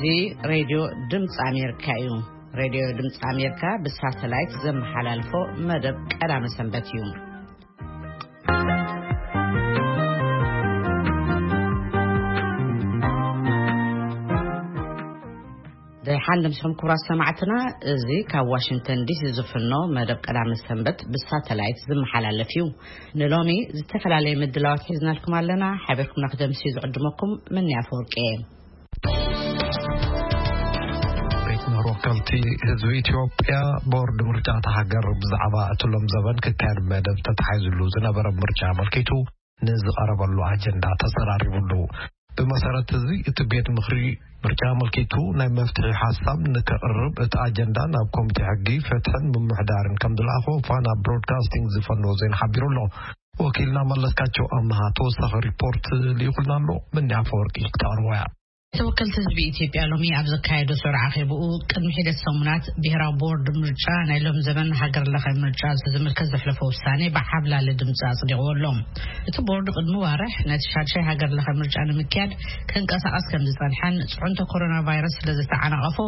እዚ ሬድዮ ድምፂ ኣሜሪካ እዩ። ሬድዮ ድምፂ ኣሜሪካ ብሳተላይት ዘመሓላልፎ መደብ ቀዳመ ሰንበት እዩ። ደሓን ድምስኹም ክቡራት ሰማዕትና፣ እዚ ካብ ዋሽንግተን ዲሲ ዝፍኖ መደብ ቀዳመ ሰንበት ብሳተላይት ዝመሓላለፍ እዩ። ንሎሚ ዝተፈላለየ ምድላዋት ሒዝናልኩም ኣለና። ሓቢርኩም ንክደምሲ ዝዕድመኩም ምንያ ፈወርቂ እየ። ቤት ምኽሪ ወከልቲ ህዝቢ ኢትዮጵያ፣ ቦርድ ምርጫ እታ ሃገር ብዛዕባ እቲ ሎም ዘበን ክካየድ መደብ ተታሒዝሉ ዝነበረ ምርጫ ኣመልኪቱ ንዝቐረበሉ ኣጀንዳ ተዘራሪቡሉ። ብመሰረት እዚ፣ እቲ ቤት ምኽሪ ምርጫ ኣመልኪቱ ናይ መፍትሒ ሓሳብ ንከቕርብ፣ እቲ ኣጀንዳ ናብ ኮሚቴ ሕጊ፣ ፍትሕን ምምሕዳርን ከም ዝለኣኾ ፋና ብሮድካስቲንግ ዝፈነወ ዜና ሓቢሩ ኣሎ። ወኪልና መለስካቸው ኣመሃ ተወሳኺ ሪፖርት ልኢኹልና ኣሎ። ምንያ ፈወርቂ ክተቕርቦ እያ። ተወከልቲ ህዝቢ ኢትዮጵያ ሎሚ ኣብ ዘካየዶ ስሩዕ ኣኼብኡ፣ ቅድሚ ሒደት ሰሙናት ብሄራዊ ቦርድ ምርጫ ናይ ሎም ዘመን ሃገር ለኸ ምርጫ ዝምልከት ዘሕለፎ ውሳኔ ብዓብላሊ ድምፂ ኣጽዲቕዎ ኣሎ። እቲ ቦርድ ቅድሚ ዋርሕ ነቲ ሻድሻይ ሃገር ለኸ ምርጫ ንምክያድ ክንቀሳቐስ ከም ዝጸንሐን፣ ጽዕንቶ ኮሮና ቫይረስ ስለ ዝተዓናቐፎ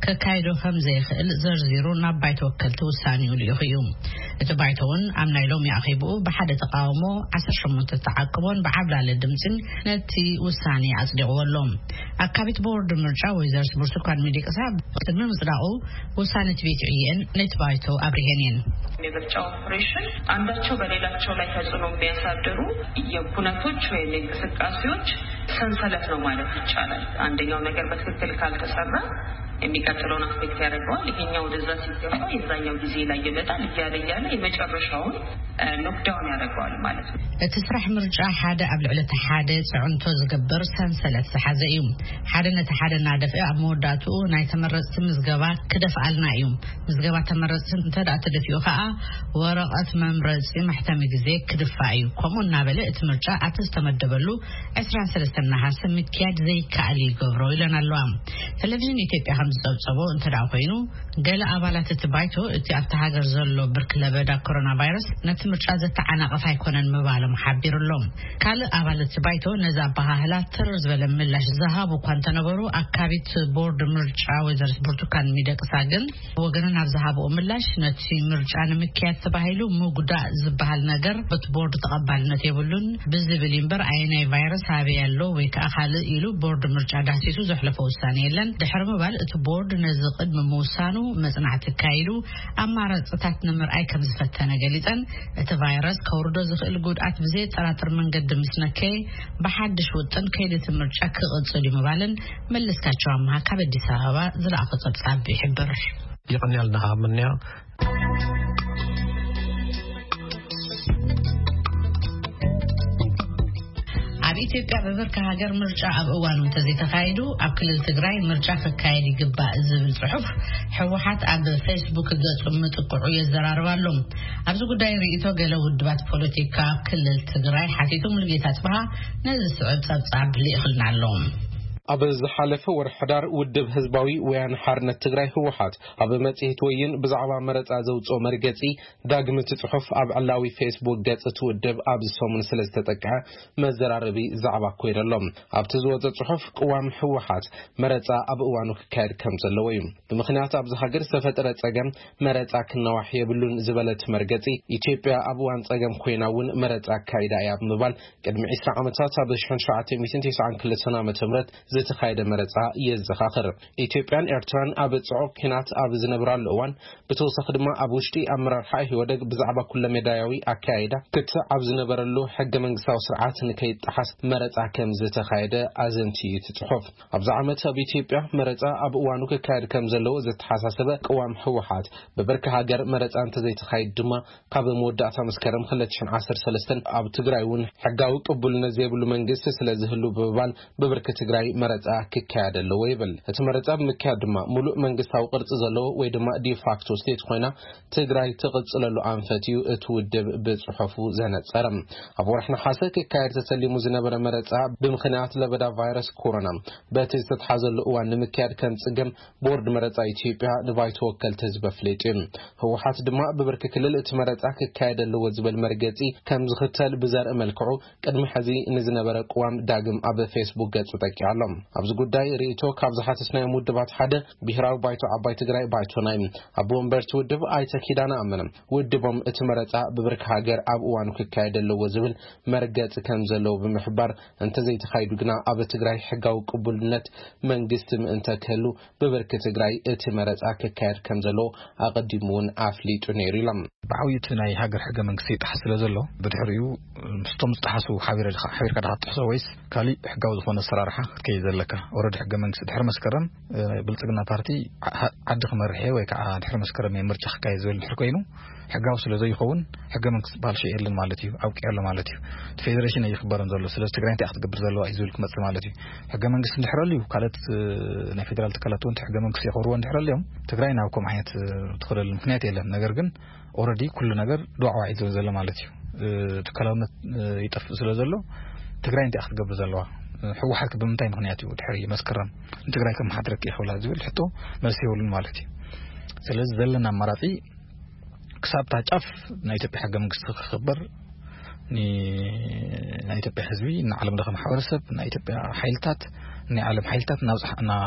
ከካይዶ ከም ዘይኽእል ዘርዚሩ ናብ ባይቶ ወከልቲ ውሳኔኡ ልኢኹ እዩ። እቲ ባይቶ እውን ኣብ ናይ ሎሚ ኣኼብኡ ብሓደ ተቃውሞ፣ ዓሰርተ ሸሞንተ ተዓቅቦን ብዓብላሊ ድምፅን ነቲ ውሳኔ ኣጽዲቕዎ ኣሎ። ኣካቢት ቦርድ ምርጫ ወይዘርስ ብርቱካን ሚደቅሳ ቅድሚ ምጽዳቑ ውሳኔ እቲ ቤት ዕየን ነቲ ባይቶ ኣብሪሄን እየን። የምርጫ ኦፕሬሽን አንዳቸው በሌላቸው ላይ ተጽዕኖ የሚያሳድሩ የኩነቶች ወይም የእንቅስቃሴዎች ሰንሰለት ነው ማለት ይቻላል። አንደኛው ነገር በትክክል ካልተሰራ የሚቀጥለውን አፌክት ያደርገዋል። ይሄኛው ወደዛ ሲገባ የዛኛው ጊዜ ላይ ይመጣል፣ እያለ እያለ የመጨረሻውን ኖክዳውን ያደርገዋል ማለት ነው። እቲ ስራሕ ምርጫ ሓደ ኣብ ልዕሊ እቲ ሓደ ጽዕንቶ ዝገብር ሰንሰለት ዝሓዘ እዩ። ሓደ ነቲ ሓደ እናደፍአ ኣብ መወዳእትኡ ናይ ተመረጽቲ ምዝገባ ክደፍኣልና እዩ። ምዝገባ ተመረጽቲ እንተ ደኣ ተደፊኡ ከኣ፣ ወረቐት መምረጺ መሕተሚ ግዜ ክድፋእ እዩ። ከምኡ እናበለ እቲ ምርጫ ኣብቲ ዝተመደበሉ ዕስራን ሰለስተን ነሓሰ ምክያድ ዘይከኣል ይገብሮ ኢለን ኣለዋ። ቴሌቪዥን ኢትዮጵያ ከም ዝጸብጸቦ እንተ ደኣ ኮይኑ፣ ገለ ኣባላት እቲ ባይቶ እቲ ኣብታ ሃገር ዘሎ ብርኪ ለበዳ ኮሮና ቫይረስ ነቲ ምርጫ ዘተዓናቕፍ ኣይኮነን ምባሎም ሓቢሩ ኣሎ። ካልእ ኣባል እቲ ባይቶ ነዚ ኣበሃህላ ትርር ዝበለ ምላሽ ዝሃቡ እኳ እንተነበሩ፣ ኣካቢት ቦርድ ምርጫ ወይዘሪት ብርቱካን ሚደቅሳ ግን ወገነን ኣብ ዝሃብኦ ምላሽ፣ ነቲ ምርጫ ንምክያድ ተባሂሉ ምጉዳእ ዝበሃል ነገር በቲ ቦርድ ተቐባልነት የብሉን ብዝብል እዩ እምበር፣ ኣየናይ ቫይረስ ኣበይ ኣሎ ወይ ከዓ ካልእ ኢሉ ቦርድ ምርጫ ዳህሲሱ ዘሕለፎ ውሳኔ የለን። ድሕሪ ምባል፣ እቲ ቦርድ ነዚ ቅድሚ ምውሳኑ መጽናዕቲ ኣካይዱ ኣማራጽታት ንምርኣይ ከም ዝፈተነ ገሊጸን፣ እቲ ቫይረስ ከውርዶ ዝኽእል ጉድኣት ብዘየጠራጥር መንገዲ ምስ ነከየ፣ ብሓድሽ ውጥን ከይዲ እቲ ምርጫ ክቕጽል እዩ ምባልን መለስካቸው ኣምሃ ካብ ኣዲስ ኣበባ ዝለኣኾ ጸብጻብ ይሕብር። የቐንያልና ምንያ። ኣብ ኢትዮጵያ ብብርኪ ሃገር ምርጫ ኣብ እዋኑ እንተዘይተኻይዱ፣ ኣብ ክልል ትግራይ ምርጫ ክካየድ ይግባእ ዝብል ጽሑፍ ህወሓት ኣብ ፌስቡክ ገጹ ምጥቅዑ የዘራርብ ኣሎ። ኣብዚ ጉዳይ ርእይቶ ገለ ውድባት ፖለቲካ ኣብ ክልል ትግራይ ሓቲቱ ሙሉጌታ ጽብሃ ነዚ ዝስዕብ ጸብጻብ ልኢኽልና ኣሎ። ኣብ ዝሓለፈ ወርሒ ሕዳር፣ ውድብ ህዝባዊ ወያነ ሓርነት ትግራይ ህወሓት ኣብ መጽሔት ወይን ብዛዕባ መረጻ ዘውጽኦ መርገጺ፣ ዳግም እቲ ጽሑፍ ኣብ ዕላዊ ፌስቡክ ገጽ እቲ ውድብ ኣብዚ ሰሙን ስለ ዝተጠቅዐ፣ መዘራረቢ ዛዕባ ኮይነ ኣሎ። ኣብቲ ዝወጸ ጽሑፍ፣ ቅዋም ህወሓት መረጻ ኣብ እዋኑ ክካየድ ከም ዘለዎ እዩ። ብምኽንያት ኣብዚ ሃገር ዝተፈጠረ ጸገም፣ መረጻ ክነዋሕ የብሉን ዝበለ እቲ መርገጺ፣ ኢትዮጵያ ኣብ እዋን ጸገም ኮይና እውን መረጻ ኣካይዳ እያ ብምባል፣ ቅድሚ ዕስራ ዓመታት ኣብ ሺሕን ትሽዓተ ሚእትን ተስዓን ክልተን ዓመተ ምህረት ዝተኻየደ መረጻ የዘኻኽር። ኢትዮጵያን ኤርትራን ኣብ ጽዑቕ ኲናት ኣብ ዝነብራሉ እዋን፣ ብተወሳኺ ድማ ኣብ ውሽጢ ኣመራርሓ ኢህወደግ ብዛዕባ ኩለመዳያዊ ኣካያይዳ ክትዕ ኣብ ዝነበረሉ ሕገ መንግስታዊ ስርዓት ንከይጠሓስ መረጻ ከም ዝተኻየደ ኣዘንትዩ እቲ ጽሑፍ። ኣብዚ ዓመት ኣብ ኢትዮጵያ መረጻ ኣብ እዋኑ ክካየድ ከም ዘለዎ ዘተሓሳሰበ ቅዋም ህወሓት፣ ብብርኪ ሃገር መረጻ እንተዘይተኻይድ ድማ፣ ካብ መወዳእታ መስከረም ክልተ ሽሕን ዓሰርተ ሰለስተን ኣብ ትግራይ እውን ሕጋዊ ቅቡልነት ዘይብሉ መንግስቲ ስለ ዝህሉ ብምባል፣ ብብርኪ ትግራይ መረጻ ክካየድ ኣለዎ ይብል። እቲ መረጻ ብምክያድ ድማ፣ ሙሉእ መንግስታዊ ቅርጺ ዘለዎ ወይ ድማ ዲፋክቶ ስቴት ኮይና ትግራይ ትቕጽለሉ ኣንፈት እዩ እቲ ውድብ ብጽሑፉ ዘነጸረ። ኣብ ወርሒ ነሓሰ ክካየድ ተሰሊሙ ዝነበረ መረጻ፣ ብምኽንያት ለበዳ ቫይረስ ኮሮና በቲ ዝተትሓዘሉ እዋን ንምክያድ ከም ጽገም ቦርድ መረጻ ኢትዮጵያ ንባይቶ ወከልቲ ህዝቢ ኣፍሊጡ እዩ። ህወሓት ድማ ብብርኪ ክልል እቲ መረጻ ክካየድ ኣለዎ ዝብል መርገጺ ከም ዝኽተል ብዘርኢ መልክዑ፣ ቅድሚ ሕዚ ንዝነበረ ቅዋም ዳግም ኣብ ፌስቡክ ገጹ ጠቂዑ ኣሎ። ኣብዚ ጉዳይ ርእይቶ ካብ ዝሓተትናዮም ውድባት ሓደ ብሄራዊ ባይቶ ዓባይ ትግራይ፣ ባይቶና እዩ። ኣቦ ወንበርቲ ውድብ ኣይተ ኪዳነ ኣመነ፣ ውድቦም እቲ መረፃ ብብርኪ ሃገር ኣብ እዋኑ ክካየድ ኣለዎ ዝብል መርገፂ ከም ዘለዎ ብምሕባር፣ እንተዘይተኻይዱ ግና ኣብ ትግራይ ሕጋዊ ቅቡልነት መንግስቲ ምእንተ ክህሉ ብብርኪ ትግራይ እቲ መረፃ ክካየድ ከም ዘለዎ ኣቐዲሙ እውን ኣፍሊጡ ነይሩ ኢሎም። ብዓብዩ እቲ ናይ ሃገር ሕገ መንግስቲ ይጠሓስ ስለ ዘሎ፣ ብድሕሪኡ ምስቶም ዝጠሓሱ ሓቢረ ድኻ- ሓቢርካ ድኻ ትጥሕሶ ወይስ ካሊእ ሕጋዊ ዝኾነ ኣሰራርሓ ክትከይድ ዘለካ? ኦረዲ ሕገ መንግስቲ ድሕሪ መስከረም፣ እ፣ ብልጽግና ፓርቲ ዓ- ዓዲ ክመርሕ እየ ወይ ከዓ ድሕሪ መስከረም እየ ምርጫ ክካየድ ዝብል ድሕሪ ኮይኑ፣ ሕጋዊ ስለ ዘይኸውን፣ ሕገ መንግስቲ ዝበሃል ሽይ የለን ማለት እዩ፣ ኣብቂዑ ኣሎ ማለት እዩ። እቲ ፌዴሬሽን እዩ ክበረን ዘሎ። ስለዚ ትግራይ እንታይ ክትገብር ዘለዋ እዩ ዝብል ክመጽእ ማለት እዩ። ሕገ መንግስቲ እንድሕር ኣልዩ፣ ካልኦት፣ እ፣ ናይ ፌዴራል ትካላት እውን እቲ ሕገ መንግስቲ የኽብርዎ እንድሕር ኣልዮም፣ ትግራይ ናብ ከምኡ ዓይነት፣ እ፣ ትኸደሉ ምክንያት የለን። ነገር ግን ኦረዲ ኩሉ ነገር ዱዓዋዕ እዩ ዝብል ዘሎ ማለት እዩ። እ፣ ትካላውነት፣ እ፣ ይጠፍእ ስለ ዘሎ፣ ትግራይ እንታይ ክትገብር ዘለዋ? እ፣ ህወሓት ብምንታይ ምክንያት እዩ ድሕሪ መስከረም ንትግራይ ከመሓድረኪ ይኽእላ ዝብል ሕቶ መልሲ የብሉን ማለት እዩ። ስለዚ ዘለና ኣማራፂ ክሳብ እታ ጫፍ ናይ ኢትዮጵያ ሕገ መንግስቲ ክኽበር፣ ን-፣ ናይ ኢትዮጵያ ህዝቢ፣ ንዓለም ለኸ ማሕበረሰብ፣ ናይ ኢትዮጵያ ሓይልታት፣ ናይ ዓለም ሓይልታት እናብዝሓ-፣ እና-፣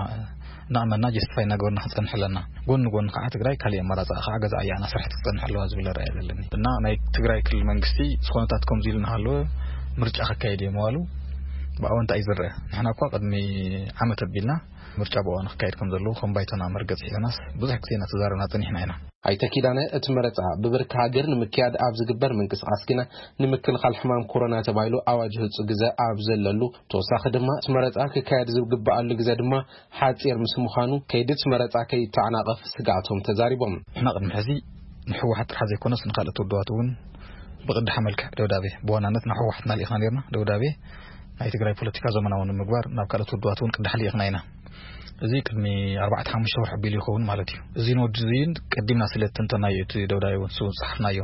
እናኣመና ጀስቲፋይ እናገበርና ክንፀንሕ ኣለና። ጎኒ ጎኒ ከዓ ትግራይ ካሊእ ኣማራፂ ከዓ ገዛ እያ እናሰርሐት ክትፀንሕ ኣለዋ ዝብል ራእይ ዘለኒ። እና ናይ ትግራይ ክልል መንግስቲ ዝኾነታት ከምዚ ኢሉ እናሃለወ ምርጫ ከካየድ እየ ምባሉ ብኣወንታ እዩ ዝረአ። ንሕና እኳ ቅድሚ ዓመት ኣቢልና ምርጫ ብእዋኑ ክካየድ ከም ዘለዎ ከም ባይቶና መርገፂ ሒዝናስ ብዙሕ ግዜ እናተዛረብና ፀኒሕና ኢና። ኣይተ ኪዳነ፣ እቲ መረፃ ብብርኪ ሃገር ንምክያድ ኣብ ዝግበር ምንቅስቃስ ግና ንምክልኻል ሕማም ኮሮና ተባሂሉ ኣዋጅ ህፁ ግዘ ኣብ ዘለሉ፣ ተወሳኺ ድማ እቲ መረፃ ክካየድ ዝግበኣሉ ግዘ ድማ ሓፂር ምስ ምዃኑ፣ ከይዲ እቲ መረፃ ከይተዓናቐፍ ስግኣቶም ተዛሪቦም። ንሕና ቅድሚ ሕዚ ንህወሓት ጥራሕ ዘይኮነስ ንካልኦት ውድባት እውን ብቕዳሕ መልክዕ ደብዳቤ፣ ብዋናነት ናብ ህወሓትና ልኢኽና ነርና። ደብዳቤ ናይ ትግራይ ፖለቲካ ዘመናዊ ንምግባር ናብ ካልኦት ውድባት እውን ቅዳሕ ልኢኽና ኢና። እዚ ቅድሚ ኣርባዕተ ሓሙሽተ ወርሒ ኣቢሉ ይኸውን ማለት እዩ። እዚ ንወዲ እዚን ቀዲምና ስለ እተንተናዮ እቲ ደብዳቤ እውን ስው ዝጸሓፍናዮ።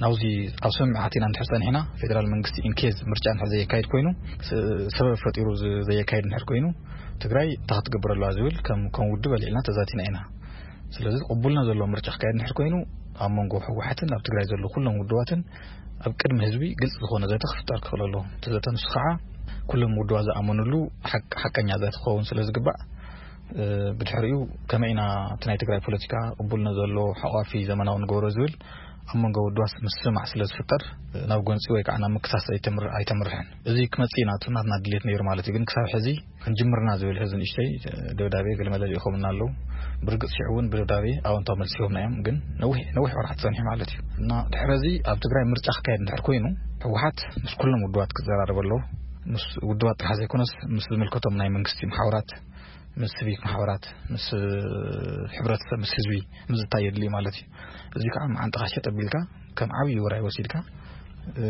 ናብዚ ኣብ ስምምዕ ኣቲና እንድሕር ጸኒሕና፣ ፌደራል መንግስቲ ኢንኬዝ ምርጫ እንድሕር ዘየካይድ ኮይኑ፣ ስ-፣ ሰበብ ፈጢሩ ዝ-፣ ዘየካይድ እንድሕር ኮይኑ፣ ትግራይ እንታይ ክትገብር ኣለዋ ዝብል ከም፣ ከም ውድብ ኣልዒልና ተዛቲና ኢና። ስለዚ ቅቡልና ዘለዎ ምርጫ ክካየድ እንድሕር ኮይኑ፣ ኣብ መንጎ ህወሓትን ኣብ ትግራይ ዘለዉ ኩሎም ውድባትን ኣብ ቅድሚ ህዝቢ ግልፂ ዝኾነ ዘተ ክፍጠር ክኽእል ኣለዎ። እቲ ዘተ ንሱ ከዓ ኩሎም ውድባት ዝኣመኑሉ ሓቅ-፣ ሓቀኛ ዘተ ክኸውን ስለ ዝግባእ፣ እ፣ ብድሕሪኡ ከመይ ኢና እቲ ናይ ትግራይ ፖለቲካ ቅቡልነት ዘለዎ፣ ሓቋፊ፣ ዘመናዊ ንገብሮ ዝብል ኣብ መንጎ ውድባት ምስማዕ ስለ ዝፍጠር፣ እ፣ ናብ ጎንፂ ወይ ከዓ ናብ ምክሳስ ኣይተምር-፣ ኣይተምርሕን። እዚ ክመፅእ ኢና እቲ ናትና ድሌት ነይሩ ማለት እዩ። ግን ክሳብ ሕዚ ክንጅምርና ዝብል ሕዚ ንእሽተይ፣ እ፣ ደብዳቤ ገለመለ ልኢኾምና ኣለዉ። ብርግፅ ሽዑ እውን ብደብዳቤ ኣወንታዊ መልሲ ሂቦምና እዮም። ግን ነዊሕ፣ ነዊሕ ወርሓት ጸኒሑ ማለት እዩ። እና ድሕሪ እዚ ኣብ ትግራይ ምርጫ ክካየድ እንድሕር ኮይኑ፣ ህወሓት ምስ ኩሎም ውድባት ክዘራረብ ኣለዎ። ምስ ውድባት ጥራሕ ዘይኮነስ ምስ ዝምልከቶም ናይ መንግስቲ ማሕበራት፣ ምስ ሲቪክ ማሕበራት፣ ምስ፣ እ፣ ሕብረተሰብ፣ ምስ ህዝቢ ምዝታይ የድልዩ ማለት እዩ። እዚ ከዓ መዓንጣኻ ሸጥ ኣቢልካ ከም ዓብዪ ውራይ ወሲድካ፣ እ፣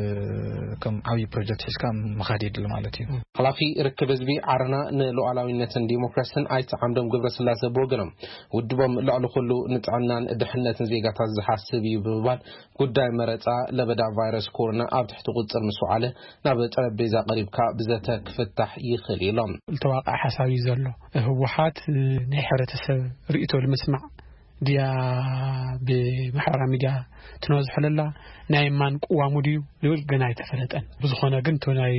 ከም ዓብዪ ፕሮጀክት ሒዝካ ምኻድ የድሊ ማለት እዩ። ሓላፊ ርክብ ህዝቢ ዓረና ንሉዓላዊነትን ዲሞክራስን ኣይተ ዓምዶም ገብረስላሴ ብወገኖም፣ ውድቦም ልዕሊ ኩሉ ንጥዕናን ድሕነትን ዜጋታት ዝሓስብ እዩ ብምባል፣ ጉዳይ መረፃ ለበዳ ቫይረስ ኮሮና ኣብ ትሕቲ ቁፅር ምስ ወዓለ ናብ ጠረጴዛ ቀሪብካ ብዘተ ክፍታሕ ይኽእል እዩ ኢሎም። ዝተዋቀዐ ሓሳብ እዩ ዘሎ። ህወሓት ናይ ሕብረተሰብ ርእይቶ ንምስማዕ ድያ ብማሕበራዊ ሚድያ ትነዝሖ ለላ፣ ናይ ማን ቅዋሙ ድዩ ዝብል ገና ኣይተፈለጠን። ብዝኾነ ግን እቲ ናይ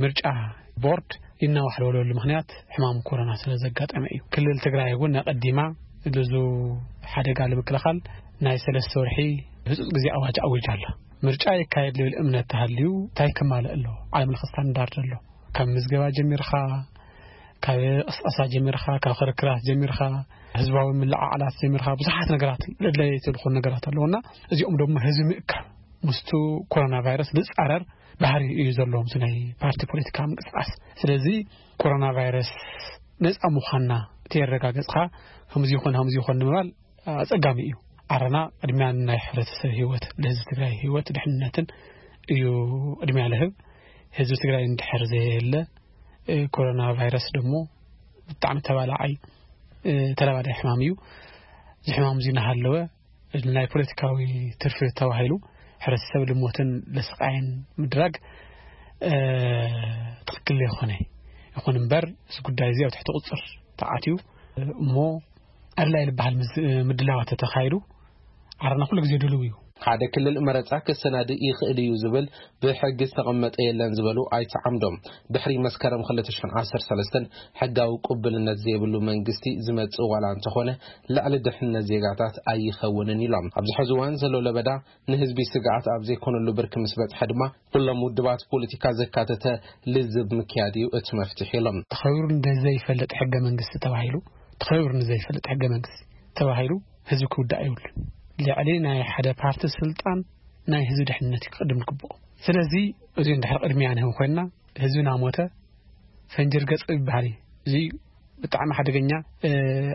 ምርጫ ቦርድ ይናዋሕ ዝበለሉ ምኽንያት ሕማም ኮሮና ስለ ዘጋጠመ እዩ። ክልል ትግራይ እውን ኣቐዲማ ልዙ ሓደጋ ንምክልኻል ናይ ሰለስተ ወርሒ ህፁፅ ግዜ ኣዋጅ ኣዊጃ ኣላ። ምርጫ ይካየድ ዝብል እምነት ተሃልዩ እንታይ ከማልእ ኣለዎ? ዓለም ለኸ ስታንዳርድ ኣሎ። ካብ ምዝገባ ጀሚርኻ፣ ካብ ቅስቀሳ ጀሚርኻ፣ ካብ ክርክራት ጀሚርኻ፣ ህዝባዊ ምልዕዓላት ጀሚርኻ፣ ብዙሓት ነገራት ለድለይቲ ዝኾኑ ነገራት ኣለዉና፣ እዚኦም ደግሞ ህዝቢ ምእካብ ምስቱ ኮሮና ቫይረስ ዝጻረር ባህሪ እዩ ዘለዎም እቲ ናይ ፓርቲ ፖለቲካ ምንቅስቃስ። ስለዚ ኮሮና ቫይረስ ነጻ ምዃንና ተየረጋገጽካ ከምዚ ይኹን ከምዚ ይኹን ንምባል ኣጸጋሚ እዩ። ዓረና ቅድሚያ ናይ ሕብረተሰብ ህይወት፣ ለህዝቢ ትግራይ ህይወት ድሕንነትን እዩ ቅድሚያ ለህብ። ህዝቢ ትግራይ እንድሕር ዘየለ፣ እ፣ ኮሮና ቫይረስ ደግሞ ብጣዕሚ ተባላዓይ፣ እ፣ ተላባዳይ ሕማም እዩ። እዚ ሕማም እዚ እናሃለወ ናይ ፖለቲካዊ ትርፊ ተባሂሉ ሕብረተሰብ ልሞትን ለስቃይን ምድራግ፣ እ፣ ትኽክል ዘይኮነ። ይኹን እምበር እዚ ጉዳይ እዚ ኣብ ትሕቲ ቁፅር ተኣትዩ እሞ ኣድላይ ዝበሃል ምዝ-፣ ምድላዋት ተተኻይዱ ዓረና ኩሉ ግዜ ድልው እዩ። ሓደ ክልል መረጻ ክሰናድእ ይኽእል እዩ ዝብል ብሕጊ ዝተቐመጠ የለን ዝበሉ ኣይተ ዓምዶም፣ ድሕሪ መስከረም ክልተ ሽሕን ዓሰርተ ሰለስተን ሕጋዊ ቅቡልነት ዘይብሉ መንግስቲ ዝመጽእ ዋላ እንተኾነ፣ ልዕሊ ድሕነት ዜጋታት ኣይኸውንን ኢሎም። ኣብዚ ሕዚ እዋን ዘሎ ለበዳ ንህዝቢ ስግኣት ኣብ ዘይኮነሉ ብርኪ ምስ በጽሐ ድማ፣ ኩሎም ውድባት ፖለቲካ ዘካተተ ልዝብ ምክያድ እዩ እቲ መፍትሒ ኢሎም። ተኸቢሩ ንዘይፈልጥ ሕገ መንግስቲ ተባሂሉ፣ ተኸቢሩ ንዘይፈልጥ ሕገ መንግስቲ ተባሂሉ ህዝቢ ክውዳእ ይብሉን። ልዕሊ ናይ ሓደ ፓርቲ ስልጣን ናይ ህዝቢ ድሕነት እዩ ክቕድም ዝግብኦ። ስለዚ፣ እዚ እንድሕር ቅድሚያ ንህብ ኮይንና፣ ህዝቢ ናሞተ ፈንጂ ርገጽ ይበሃል እዩ። እዚ ብጣዕሚ ሓደገኛ፣ እ፣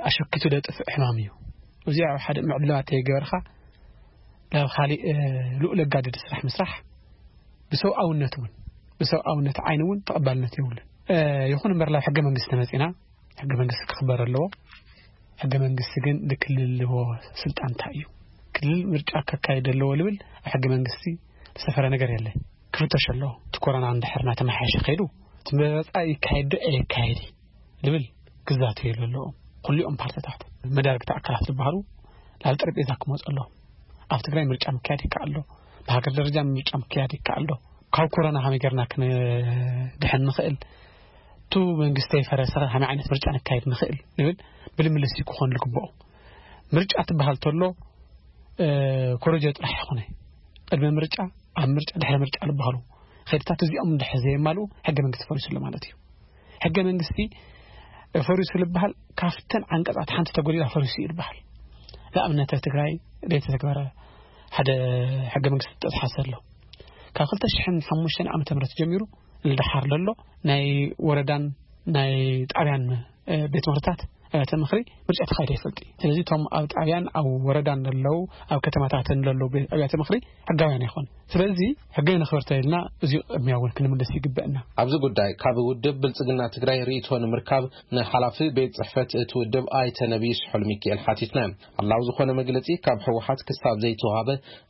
ኣሸኪቱ ደጥፍእ ሕማም እዩ። እዚ ኣብ ሓደ ምዕላባት ተይገበርካ ናብ ካሊእ፣ እ፣ ልኡል ኣጋድድ ስራሕ ምስራሕ ብሰብኣውነት እውን፣ ብሰብኣውነት ዓይኒ እውን ተቐባልነት የብሉን። እ፣ ይኹን እምበር ናብ ሕገ መንግስቲ መጺና፣ ሕገ መንግስቲ ክኽበር ኣለዎ። ሕገ መንግስቲ ግን ንክልል ዝህቦ ስልጣን እንታይ እዩ? ክልል ምርጫ ከካይድ ኣለዎ ልብል ኣብ ሕገ መንግስቲ ዝሰፈረ ነገር የለን። ክፍተሽ ኣለዎ። እቲ ኮሮና እንድሕር እናተመሓየሸ ከይዱ፣ እቲ መረጻ ይካየድ ዶ ኣይካየድ ልብል ክዛተየሉ ኣለዎ። ኩሊኦም ፓርቲታት፣ መዳርግቲ ኣካላት ዝበሃሉ ናብ ጠረጴዛ ክመጹ ኣለዎም። ኣብ ትግራይ ምርጫ ምክያድ ይከኣል ዶ? ብሃገር ደረጃ ምርጫ ምክያድ ይከኣል ዶ? ካብ ኮሮና ከመይ ጌርና ክንድሕን ንኽእል? እቲ መንግስቲ ይፈረሰ ከ ከመይ ዓይነት ምርጫ ነካይድ ንኽእል? ንብል ብልምልስ እዩ ክኾን ዝግብኦ። ምርጫ ትበሃል ተሎ፣ እ፣ ኮረጆ ጥራሕ ይኾነ። ቅድሚ ምርጫ፣ ኣብ ምርጫ፣ ድሕሪ ምርጫ ዝበሃሉ ከይድታት እዚኦም እንድሕር ዘየማልኡ ሕገ መንግስቲ ፈሪሱ ኣሎ ማለት እዩ። ሕገ መንግስቲ ፈሪሱ ዝበሃል ካብተን ዓንቀጻት ሓንቲ ተጎዲላ ፈሪሱ እዩ ዝበሃል። ንኣብነት ኣብ ትግራይ ዘይተተግበረ ሓደ ሕገ መንግስቲ ተተሓሰ ኣሎ። ካብ ክልተ ሽሕን ሓሙሽተን ዓመተ ምህረት ጀሚሩ ንደሓር ዘሎ ናይ ወረዳን ናይ ጣብያን፣ እ፣ ቤት ምኽርታት ኣብያተ ምኽሪ ምርጫ ተኻይዱ ኣይፈልጥ እዩ። ስለዚ እቶም ኣብ ጣብያን ኣብ ወረዳን ዘለዉ፣ ኣብ ከተማታትን ዘለዉ ቤት ኣብያተ ምኽሪ ሕጋውያን ኣይኾን። ስለዚ ሕገ ነኽብር ተኢልና እዚ ቅድሚያ እውን ክንምልስ ይግበእና። ኣብዚ ጉዳይ ካብ ውድብ ብልጽግና ትግራይ ርእይቶ ንምርካብ ንሓላፊ ቤት ጽሕፈት እቲ ውድብ ኣይተ ነቢይ ስሑል ሚካኤል ሓቲትና። ኣላው ዝኾነ መግለጺ ካብ ህወሓት ክሳብ ዘይተዋሃበ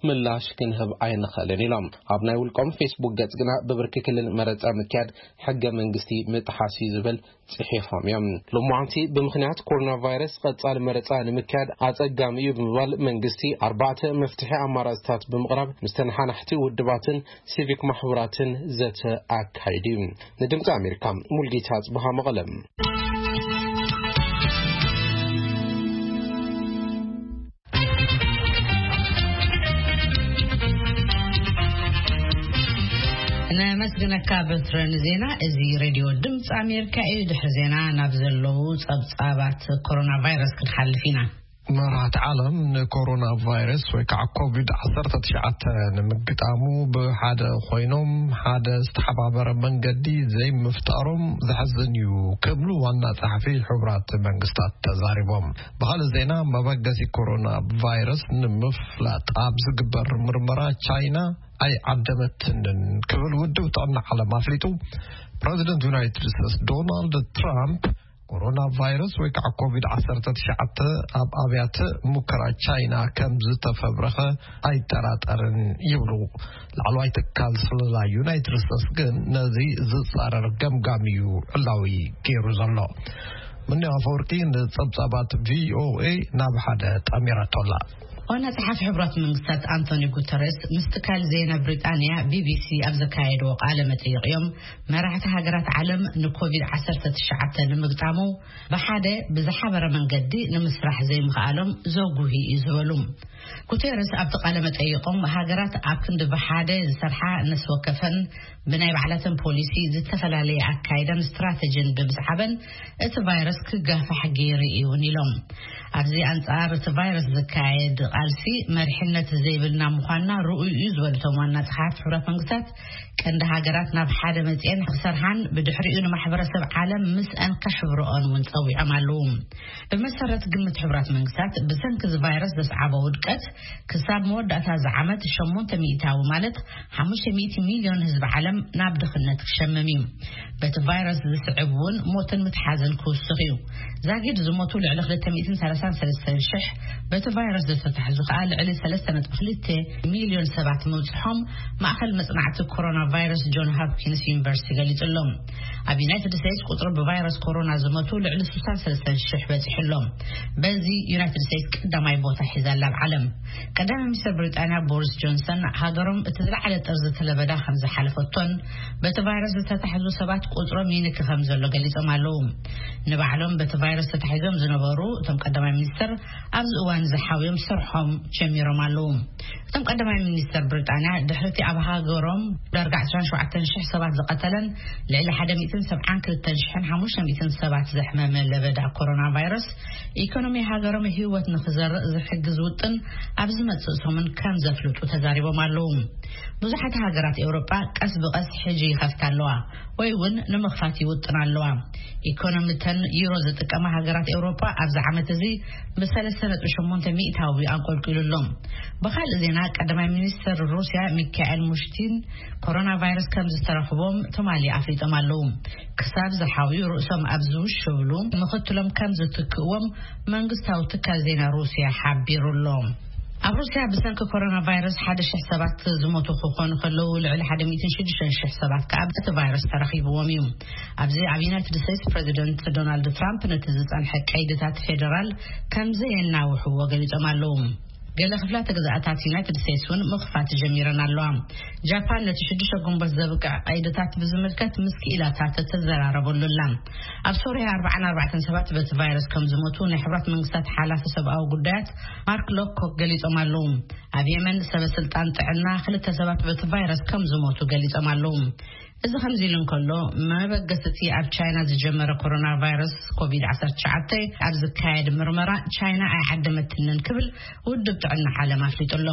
ምላሽ ክንህብ ኣይንኽእልን ኢሎም። ኣብ ናይ ውልቆም ፌስቡክ ገጽ ግና ብብርኪ ክልል መረጻ ምክያድ ሕገ መንግስቲ ምጥሓስ እዩ ዝብል ጽሒፎም እዮም። ሎማዓንቲ ብምኽንያት ኮሮና ቫይረስ ቀጻሊ መረጻ ንምክያድ ኣጸጋሚ እዩ ብምባል መንግስቲ ኣርባዕተ መፍትሒ ኣማራጽታት ብምቕራብ ምስ ተነሓናሕቲ ውድባትን ሲቪክ ማሕበራትን ዘተ ኣካይዱ እዩ። ንድምፂ ኣሜሪካ ሙልጌታ ጽብሃ መቐለም። ነመስግነካ በትረ ንዜና። እዚ ሬድዮ ድምፂ ኣሜሪካ እዩ። ድሕሪ ዜና ናብ ዘለዉ ጸብጻባት ኮሮና ቫይረስ ክንሓልፍ ኢና። መራሕቲ ዓለም ንኮሮና ቫይረስ ወይ ከዓ ኮቪድ ዓሰርተ ትሽዓተ ንምግጣሙ ብሓደ ኮይኖም ሓደ ዝተሓባበረ መንገዲ ዘይምፍጣሮም ዘሕዝን እዩ ክብሉ ዋና ጸሓፊ ሕቡራት መንግስታት ተዛሪቦም። ብኻልእ ዜና መበገሲ ኮሮና ቫይረስ ንምፍላጥ ኣብ ዝግበር ምርመራ ቻይና ኣይዓደመትንን ክብል ውድብ ጥዕና ዓለም ኣፍሊጡ። ፕረዚደንት ዩናይትድ ስቴትስ ዶናልድ ትራምፕ ኮሮና ቫይረስ ወይ ከዓ ኮቪድ ዓሰርተ ትሽዓተ ኣብ ኣብያተ ሙከራ ቻይና ከም ዝተፈብረኸ ኣይጠራጠርን ይብሉ። ላዕለዋይ ትካል ስለላ ዩናይትድ ስቴትስ ግን ነዚ ዝጻረር ገምጋም እዩ ዕላዊ ገይሩ ዘሎ። ምንያው ኣፈወርቂ ንጸብጻባት ቪኦኤ ናብ ሓደ ጠሚራቶ ኣላ። ዋና ጸሓፊ ሕቡራት መንግስታት ኣንቶኒ ጉተረስ ምስ ትካል ዜና ብሪጣንያ ቢቢሲ ኣብ ዘካየድዎ ቃለ መጠይቕ እዮም መራሕቲ ሃገራት ዓለም ንኮቪድ ዓሰርተ ትሽዓተ ንምግጣሙ ብሓደ ብዝሓበረ መንገዲ ንምስራሕ ዘይምኽኣሎም ዘጉሂ እዩ ዝበሉ። ጉተረስ ኣብቲ ቃለ መጠይቖም ሃገራት ኣብ ክንዲ ብሓደ ዝሰርሓ ነፍሲ ወከፈን ብናይ ባዕላተን ፖሊሲ ዝተፈላለየ ኣካይዳን ስትራተጂን ብምስዓበን እቲ ቫይረስ ክጋፋሕ ገይሩ እዩ እውን ኢሎም። ኣብዚ ኣንጻር እቲ ቫይረስ ዝካየድ ቃልሲ መሪሕነት ዘይብልና ምዃንና ርኡይ እዩ ዝበሉ እቶም ዋና ጸሓፊ ሕቡራት መንግስታት ቀንዲ ሃገራት ናብ ሓደ መጽኤን ክሰርሓን ብድሕሪኡ ንማሕበረሰብ ዓለም ምስአን ከሕብረኦን እውን ጸዊዖም ኣለዉ። ብመሰረት ግምት ሕቡራት መንግስታት ብሰንኪ እዚ ቫይረስ ዘስዓቦ ውድቀት ክሳብ መወዳእታ እዚ ዓመት ሸሞንተ ሚእታዊ ማለት ሓሙሽተ ሚእቲ ሚልዮን ህዝቢ ዓለም ናብ ድኽነት ክሸምም እዩ። በቲ ቫይረስ ዝስዕብ እውን ሞትን ምትሓዝን ክውስኽ እዩ። ዛጊድ ዝሞቱ ልዕሊ ክልተ ሚእትን ሰላሳን ሰለስተን ሽሕ በቲ ቫይረስ ዝተታሕዙ እዚ ከኣ ልዕሊ ሰለስተ ነጥቢ ክልተ ሚልዮን ሰባት ምብጽሖም ማእኸል መጽናዕቲ ኮሮና ቫይረስ ጆን ሆፕኪንስ ዩኒቨርሲቲ ገሊጹ ኣሎ። ኣብ ዩናይትድ ስቴትስ ቁጽሪ ብቫይረስ ኮሮና ዝሞቱ ልዕሊ ስሳን ሰለስተን ሽሕ በጺሑ ኣሎ። በዚ ዩናይትድ ስቴትስ ቀዳማይ ቦታ ሒዛ ኣላ ኣብ ዓለም። ቀዳማይ ሚኒስትር ብሪጣንያ ቦሪስ ጆንሰን ሃገሮም እቲ ዝለዓለ ጥርዚ ተለበዳ ከም ዝሓለፈቶን በቲ ቫይረስ ዝተታሕዙ ሰባት ቁጽሮም ይንኪ ከም ዘሎ ገሊጾም ኣለዉ። ንባዕሎም በቲ ቫይረስ ተታሒዞም ዝነበሩ እቶም ቀዳማይ ሚኒስትር ኣብዚ እዋን ዝሓውዮም ስርሖም ጀሚሮም ኣለዉ። እቶም ቀዳማይ ሚኒስትር ብሪጣንያ ድሕርቲ ኣብ ሃገሮም ዳርጋ ዕስራን ሸውዓተን ሽሕ ሰባት ዝቐተለን ልዕሊ ሓደ ሚእትን ሰብዓን ክልተን ሽሕን ሓሙሽተ ሚእትን ሰባት ዘሕመመ ለበዳ ኮሮና ቫይረስ ኢኮኖሚ ሃገሮም ህይወት ንኽዘርእ ዝሕግዝ ውጥን ኣብ ዝመጽእ ሰሙን ከም ዘፍልጡ ተዛሪቦም ኣለዉ። ብዙሓት ሃገራት ኤውሮጳ ቀስ ብቐስ ሕጂ ይኸፍታ ኣለዋ ወይ እውን ንምኽፋት ይውጥና ኣለዋ። ኢኮኖሚተን ዩሮ ዝጥቀማ ሃገራት ኤውሮጳ ኣብዚ ዓመት እዚ ብሰለስተ ነጥቢ ሸሞንተ ሚእታዊ ኣንቆልቂሉ ኣሎ። ብኻልእ ዜና ቀዳማይ ሚኒስትር ሩስያ ሚካኤል ሙሽቲን ኮሮና ቫይረስ ከም ዝተረኽቦም ትማሊ ኣፍሊጦም ኣለዉ። ክሳብ ዝሓውዩ ርእሶም ኣብ ዝውሽብሉ ምኽትሎም ከም ዝትክእዎም መንግስታዊ ትካል ዜና ሩስያ ሓቢሩ ኣሎ። ኣብ ሩስያ ብሰንኪ ኮሮና ቫይረስ ሓደ ሽሕ ሰባት ዝሞቱ ክኾኑ ከለዉ ልዕሊ ሓደ ሚእትን ሽዱሽተ ሽሕ ሰባት ከኣ በቲ ቫይረስ ተረኺብዎም እዩ። ኣብዚ ኣብ ዩናይትድ ስቴትስ ፕሬዚደንት ዶናልድ ትራምፕ ነቲ ዝጸንሐ ቀይድታት ፌደራል ከም ዘየናውሕዎ ገሊጾም ኣለዉ። ገለ ክፍላተ ግዝኣታት ዩናይትድ ስቴትስ እውን ምኽፋት ጀሚረን ኣለዋ። ጃፓን ነቲ ሽዱሽተ ግንቦት ዘብቅዕ ቀይድታት ብዝምልከት ምስ ክኢላታት ተዘራረበሉ ኣላ። ኣብ ሶርያ ኣርባዓን ኣርባዕተን ሰባት በቲ ቫይረስ ከም ዝሞቱ ናይ ሕብራት መንግስታት ሓላፊ ሰብኣዊ ጉዳያት ማርክ ሎኮክ ገሊጾም ኣለዉ። ኣብ የመን ሰበ ስልጣን ጥዕና ክልተ ሰባት በቲ ቫይረስ ከም ዝሞቱ ገሊጾም ኣለዉ። እዚ ከምዚ ኢሉ እንከሎ መበገስቲ ኣብ ቻይና ዝጀመረ ኮሮና ቫይረስ ኮቪድ ዓሰርተ ትሽዓተ ኣብ ዝካየድ ምርመራ ቻይና ኣይዓደመትንን ክብል ውድብ ጥዕና ዓለም ኣፍሊጡ ኣሎ።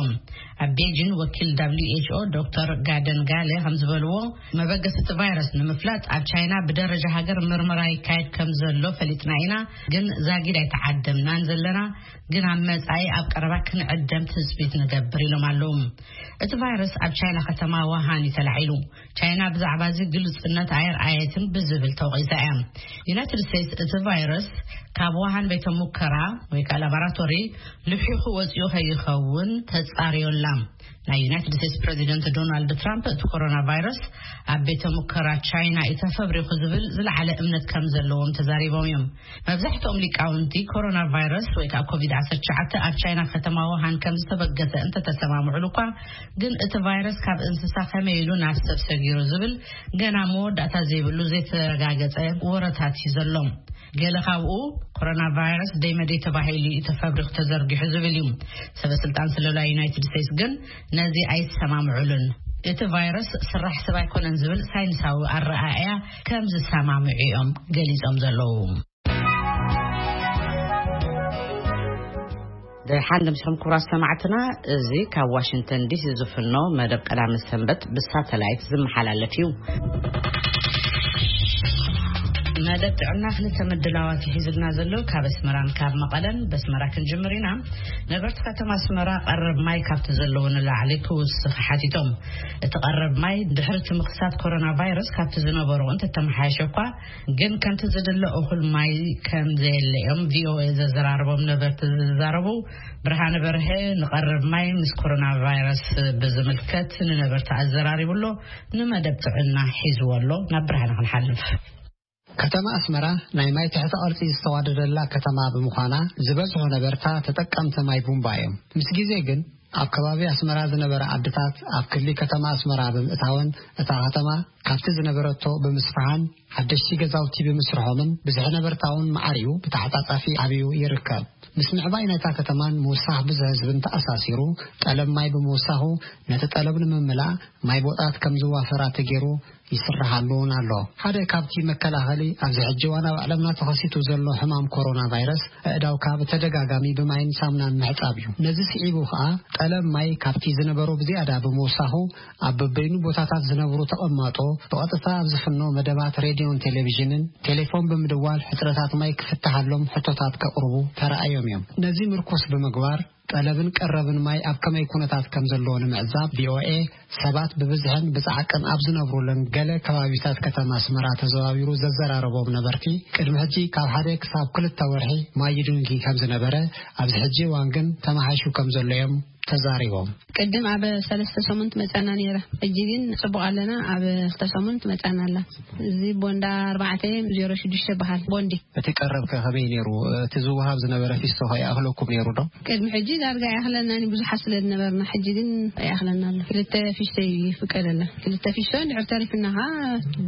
ኣብ ቤጂን ወኪል ደብሊው ኤች ኦ ዶክተር ጋደን ጋለ ከም ዝበልዎ መበገስቲ ቫይረስ ንምፍላጥ ኣብ ቻይና ብደረጃ ሃገር ምርመራ ይካየድ ከም ዘሎ ፈሊጥና ኢና፣ ግን ዛጊድ ኣይተዓደምናን ዘለና፣ ግን ኣብ መጻኢ ኣብ ቀረባ ክንዕደም ትጽቢት ንገብር ኢሎም ኣለዉ። እቲ ቫይረስ ኣብ ቻይና ከተማ ዋሃን እዩ ተላዒሉ። ቻይና ብዛዕባ እዚ ግልጽነት ኣየርኣየትን ብዝብል ተወቒሳ እያ። ዩናይትድ ስቴትስ እቲ ቫይረስ ካብ ዋሃን ቤተ ሙከራ ወይ ከዓ ላቦራቶሪ ልሒኹ ወፂኡ ከይኸውን ተጻርዮላ። ናይ ዩናይትድ ስቴትስ ፕሬዚደንት ዶናልድ ትራምፕ እቲ ኮሮና ቫይረስ ኣብ ቤተ ሙከራ ቻይና እዩ ተፈብሪኹ ዝብል ዝለዓለ እምነት ከም ዘለዎም ተዛሪቦም እዮም። መብዛሕትኦም ሊቃውንቲ ኮሮና ቫይረስ ወይ ከዓ ኮቪድ ዓሰርተ ትሽዓተ ኣብ ቻይና ከተማ ዋሃን ከም ዝተበገሰ እንተተሰማምዑሉ እኳ፣ ግን እቲ ቫይረስ ካብ እንስሳ ከመይ ኢሉ ናብ ሰብ ሰጊሩ ዝብል ገና መወዳእታ ዘይብሉ ዘይተረጋገጸ ወረታት እዩ ዘሎ። ገለ ካብኡ ኮሮና ቫይረስ ደይ መደይ ተባሂሉ እዩ ተፈብሪኹ ተዘርጊሑ ዝብል እዩ። ሰበ ስልጣን ስለላ ዩናይትድ ስቴትስ ግን ነዚ ኣይሰማምዑሉን። እቲ ቫይረስ ስራሕ ሰብ ኣይኮነን ዝብል ሳይንሳዊ ኣረኣእያ ከም ዝሰማምዑ እዮም ገሊጾም ዘለዉ። ደሓን ድምስኹም ክቡራት ሰማዕትና፣ እዚ ካብ ዋሽንግተን ዲሲ ዝፍኖ መደብ ቀዳመ ሰንበት ብሳተላይት ዝመሓላለፍ እዩ። መደብ ጥዕና ክልተ ምድላዋት ይሒዝልና ዘሎ ካብ ኣስመራን ካብ መቐለን። በስመራ ክንጅምር ኢና። ነበርቲ ከተማ ኣስመራ ቀረብ ማይ ካብቲ ዘለዎ ንላዕሊ ክውስኽ ሓቲቶም። እቲ ቀረብ ማይ ድሕሪ እቲ ምኽሳት ኮሮና ቫይረስ ካብቲ ዝነበሮ እንተተመሓየሸ እኳ፣ ግን ከምቲ ዝድለ እኹል ማይ ከም ዘየለ እዮም ቪኦኤ ዘዘራረቦም ነበርቲ ዝዛረቡ። ብርሃነ በርሀ ንቐረብ ማይ ምስ ኮሮና ቫይረስ ብዝምልከት ንነበርቲ ኣዘራሪቡ ኣሎ። ንመደብ ጥዕና ሒዝዎ ኣሎ። ናብ ብርሃነ ክንሓልፍ። ከተማ ኣስመራ ናይ ማይ ትሕተ ቅርጺ ዝተዋደደላ ከተማ ብምዃና፣ ዝበዝሑ ነበርታ ተጠቀምቲ ማይ ቡምባ እዮም። ምስ ግዜ ግን ኣብ ከባቢ ኣስመራ ዝነበረ ዓድታት ኣብ ክሊ ከተማ ኣስመራ ብምእታወን፣ እታ ከተማ ካብቲ ዝነበረቶ ብምስፍሓን ሓደሽቲ ገዛውቲ ብምስርሖምን፣ ብዝሒ ነበርታ እውን ማዕሪኡ ብተሓጻጻፊ ዓብዩ ይርከብ። ምስ ምዕባይ ናይታ ከተማን ምውሳኽ ብዝሒ ህዝብን ተኣሳሲሩ፣ ጠለብ ማይ ብምውሳኹ፣ ነቲ ጠለብ ንምምላእ ማይ ቦጣት ከም ዝዋፈራ ተገይሩ ይስርሓሉ እውን ኣሎ። ሓደ ካብቲ መከላኸሊ ኣብዚ ሕጂ እዋን ኣብ ዓለምና ተኸሲቱ ዘሎ ሕማም ኮሮና ቫይረስ፣ ኣእዳውካ ብተደጋጋሚ ብማይን ሳሙናን ምሕጻብ እዩ። ነዚ ስዒቡ ከኣ፣ ጠለብ ማይ ካብቲ ዝነበሮ ብዝያዳ ብምውሳኹ፣ ኣብ በበይኑ ቦታታት ዝነብሩ ተቐማጦ ብቐጥታ ኣብ ዝፍኖ መደባት ሬድዮን ቴሌቪዥንን ቴሌፎን ብምድዋል ሕጽረታት ማይ ክፍትሓሎም ሕቶታት ከቕርቡ ተራእዮም እዮም። ነዚ ምርኩስ ብምግባር፣ ጠለብን ቀረብን ማይ ኣብ ከመይ ኩነታት ከም ዘለዎ ንምዕዛብ፣ ቪኦኤ ሰባት ብብዝሕን ብጻዕቅን ኣብ ዝነብሩለን ገለ ከባቢታት ከተማ ኣስመራ ተዘዋዊሩ ዘዘራረቦም ነበርቲ፣ ቅድሚ ሕጂ ካብ ሓደ ክሳብ ክልተ ወርሒ ማይ ይድንጊ ከም ዝነበረ፣ ኣብዚ ሕጂ እዋን ግን ተመሓይሹ ከም ዘሎ እዮም ተዛሪቦም። ቅድም ኣብ ሰለስተ ሰሙን ትመጸና ነይራ። ሕጂ ግን ጽቡቕ ኣለና። ኣብ ክልተ ሰሙን ትመጸና ኣላ። እዚ ቦንዳ ኣርባዕተ ዜሮ ሽዱሽተ በሃል ቦንዲ። እቲ ቀረብ ከ ከመይ ነይሩ? እቲ ዝወሃብ ዝነበረ ፊስቶ ከ ይኣኽለኩም ነይሩ ዶ? ቅድሚ ሕጂ ዳርጋ ኣይኣኽለናን፣ ብዙሓት ስለ ዝነበርና። ሕጂ ግን ይኣኽለና ኣሎ። ክልተ ፊስቶ እዩ ይፍቀደልና። ክልተ ፊስቶ እንድሕር ተሪፍና ኸዓ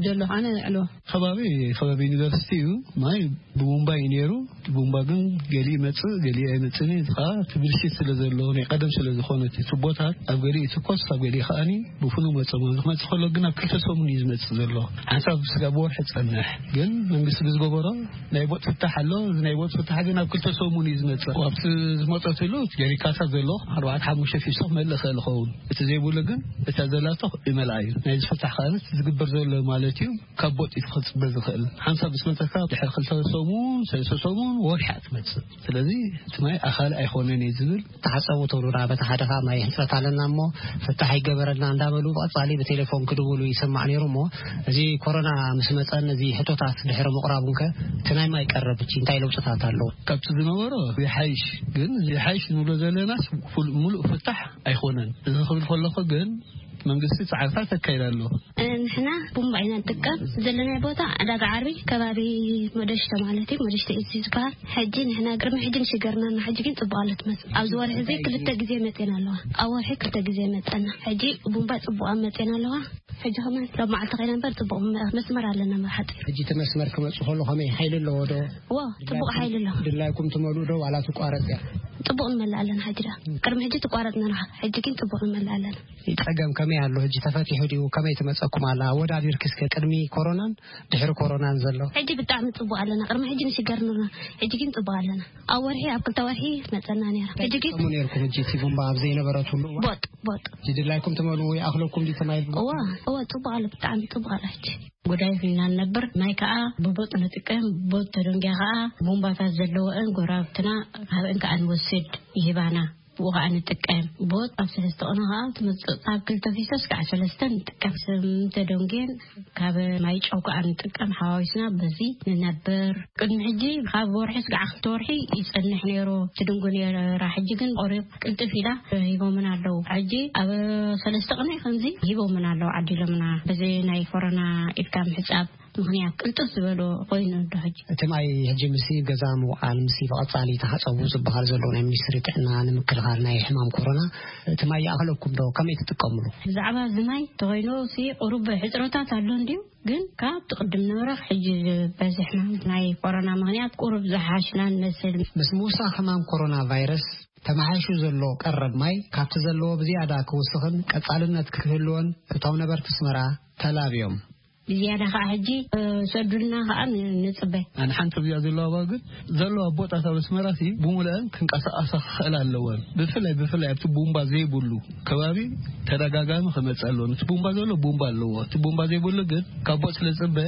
ደሎ ኸዓ ነዕልዎ። ከባቢ፣ ከባቢ ዩኒቨርሲቲ እዩ። ማይ ብቡምባ እዩ ነይሩ። እቲ ቡምባ ግን ገሊኡ ይመጽእ፣ ገሊኡ ኣይመጽእን እዩ። እዚ ኸዓ እቲ ብልሽት ስለ ዘሎ፣ ናይ ቀደም ስለ ዝኾነ እቲ ቱቦታት፣ ኣብ ገሊኡ ይትኮስ፣ ኣብ ገሊኡ ኸዓኒ ብፍኑው መጸ። ክመጽእ ከሎ ግን ኣብ ክልተ ሰሙን እዩ ዝመጽእ ዘሎ። ሓንሳብ ስጋብ ወርሒ ጸንሕ። ግን መንግስቲ ብዝገበሮ ናይ ቦጥ ፍታሕ ኣሎ። እዚ ናይ ቦጥ ፍታሕ ግን ኣብ ክልተ ሰሙን እዩ ዝመጽእ። ኣብቲ ዝመጸትሉ ጀሪካታት ዘሎ ኣርባዕተ ሓሙሽተ ፊስቶ ክመልእ ይኽእል ይኸውን። እቲ ዘይብሉ ግን እታ ዘላቶ ይመልኣ እዩ። ናይ ዝፍታሕ ከዓኒ ዝግበር ዘሎ ማለት እዩ። ካብ ቦጥ እዩ ክጽበ ዝኽእል። ሓንሳብ ምስ መጸካ ድሕሪ ክልተ ሰሙን፣ ሰለስተ ሰሙን፣ ወርሒ እያ ትመጽእ። ስለዚ እቲ ማይ ኣኻሊ ኣይኮነን እዩ ዝብል። ተሓጸቡ ትብሉና፣ በቲ ሓደ ኸዓ ማይ ሕጽረት ኣለና እሞ ፍታሕ ይገበረልና እንዳበሉ ብቐጻሊ ብቴሌፎን ክድውሉ ይስማዕ ነይሩ። እሞ እዚ ኮሮና ምስ መጸን እዚ ሕቶታት ድሕሪ ምቕራቡን ከ እቲ ናይ ማይ ቀረብ እቺ እንታይ ለውጥታት ኣለዎ? ካብቲ ዝነበሮ ይሓይሽ፣ ግን ይሓይሽ ንብሎ ዘለናስ ፍል-፣ ሙሉእ ፍታሕ ኣይኮነን። እዚ ክብል ከለኹ ግን መንግስቲ ጻዕርታት ኣካይድ ኣሎ። ንሕና ቡምባ ኢና ንጥቀም። ዘለናይ ቦታ ዕዳጋ ዓርቢ ከባቢ መደሽተ ማለት እዩ፣ መደሽተ እዩ ዝበሃል። ሕጂ ንሕና ቅድሚ ሕጂ ንሽገርና እና ሕጂ ግን ጽቡቕ ኣሎ ትመጽእ። ኣብዚ ወርሒ እዚ ክልተ ግዜ መጽኤን ኣለዋ። ኣብ ወርሒ ክልተ ግዜ መጸና። ሕጂ ቡምባ ጽቡቕ ኣብ መጽኤን ኣለዋ። ሕጂ ከመን ሎብ መዓልቲ ከይና እምበር ጽቡቕ መስመር ኣለና። መብሓጢ ሕጂ እቲ መስመር ክመጽእ ከሎ ከመይ ሓይሊ ኣለዎ ዶ? ዎ፣ ጽቡቕ ሓይሊ ኣለዎ። ድላይኩም ትመልኡ ዶ ዋላ ትቋረጽ እያ? ጽቡቕ ንመልእ ኣለና። ሕጂ ዳ ቅድሚ ሕጂ ትቋረጽ ነርኻ፣ ሕጂ ግን ጽቡቕ ንመልእ ኣለና። ጸገም ከመይ ኣሎ? ሕጂ ተፈቲሑ ድዩ? ከመይ ትመጸኩም ኣላ? ኣወዳዲርኪ እስከ ቅድሚ ኮሮናን ድሕሪ ኮሮናን ዘሎ። ሕጂ ብጣዕሚ ጽቡቕ ኣለና። ቅድሚ ሕጂ ንሽገር ነርና፣ ሕጂ ግን ጽቡቕ ኣለና። ኣብ ወርሒ፣ ኣብ ክልተ ወርሒ መጸና ነይራ። ሕጂ ግን ትጥቀሙ ነርኩም? ሕጂ እቲ ቡምባ ኣብ ዘይነበረትሉ እዋን ቦጥ፣ ቦጥ። ሕጂ ድላይኩም ትመልኡ ወይ ኣኽለኩም ድዩ ተማይ? እዋ፣ እዋ፣ ጽቡቕ ኣሎ፣ ብጣዕሚ ጽቡቕ ኣሎ። ሕጂ ጉዳይ ፊና ንነብር፣ ማይ ከኣ ብቦጥ ንጥቀም። ቦጥ ተደንጊያ ከኣ ቡምባታት ዘለዎእን ጎረባብትና ካብእን ከኣ ንወስድ ይህባና። ብኡ ከኣ ንጥቀም። ቦጥ ኣብ ሰለስተ ቅነ ከኣ ትመጽእ። ካብ ክልተ ፊስቶ እስካዕ ሰለስተ ንጥቀም። ስም ተደንጌን ካብ ማይ ጨው ከኣ ንጥቀም። ሓዋዊስና በዚ ንነብር። ቅድሚ ሕጂ ካብ ወርሒ እስካዕ ክልተ ወርሒ ይጸንሕ ነይሩ። ትድንጉ ነይራ። ሕጂ ግን ቆሪብ ቅልጥፍ ኢላ ሂቦምን ኣለዉ። ሕጂ ኣብ ሰለስተ ቅነ ከምዚ ሂቦምን ኣለዉ፣ ዓዲሎምና። በዚ ናይ ኮሮና ኢድካ ምሕጻብ ምኽንያት ቅልጥፍ ዝበሎ ኮይኑ እንዶ ሕጂ። እቲ ማይ ሕጂ ምስ ገዛ ምውዓል፣ ምስ ብቐጻሊ ተሓጸቡ ዝበሃል ዘሎ ናይ ሚኒስትሪ ጥዕና ንምክልኻል ናይ ሕማም ኮሮና፣ እቲ ማይ ይኣኽለኩም ዶ? ከመይ ትጥቀምሉ? ብዛዕባ እዚ ማይ ተኾይኑ ሲ ቁሩብ ሕጽረታት ኣሎ እንድዩ፣ ግን ካብ ትቕድም ንብረኽ ሕጂ ዝበዝሕ ሕማም ናይ ኮሮና ምኽንያት ቁሩብ ዝሓሽና ንመስል። ምስ ምውሳኽ ሕማም ኮሮና ቫይረስ ተመሓይሹ ዘሎ ቀረብ ማይ ካብቲ ዘለዎ ብዝያዳ ክውስኽን ቀጻልነት ክህልዎን እቶም ነበርቲ ኣስመራ ተላብዮም። ብዝያዳ ከኣ ሕጂ፣ እ፣ ሰዱልና ከኣ ን-፣ ንጽበ። ኣነ ሓንቲ ርያ ዘለዋ ግን ዘለዋ ቦጣታት ኣስመራ ሲ ብሙሉአን ክንቀሳቐሳ ክኽእል ኣለወን። ብፍላይ፣ ብፍላይ ኣብቲ ቡምባ ዘይብሉ ከባቢ ተደጋጋሚ ክመጽእ ኣለዎ። እቲ ቡምባ ዘሎ ቡምባ ኣለዎ። እቲ ቡምባ ዘይብሉ ግን ካብ ቦጥ ስለ ዝጽበ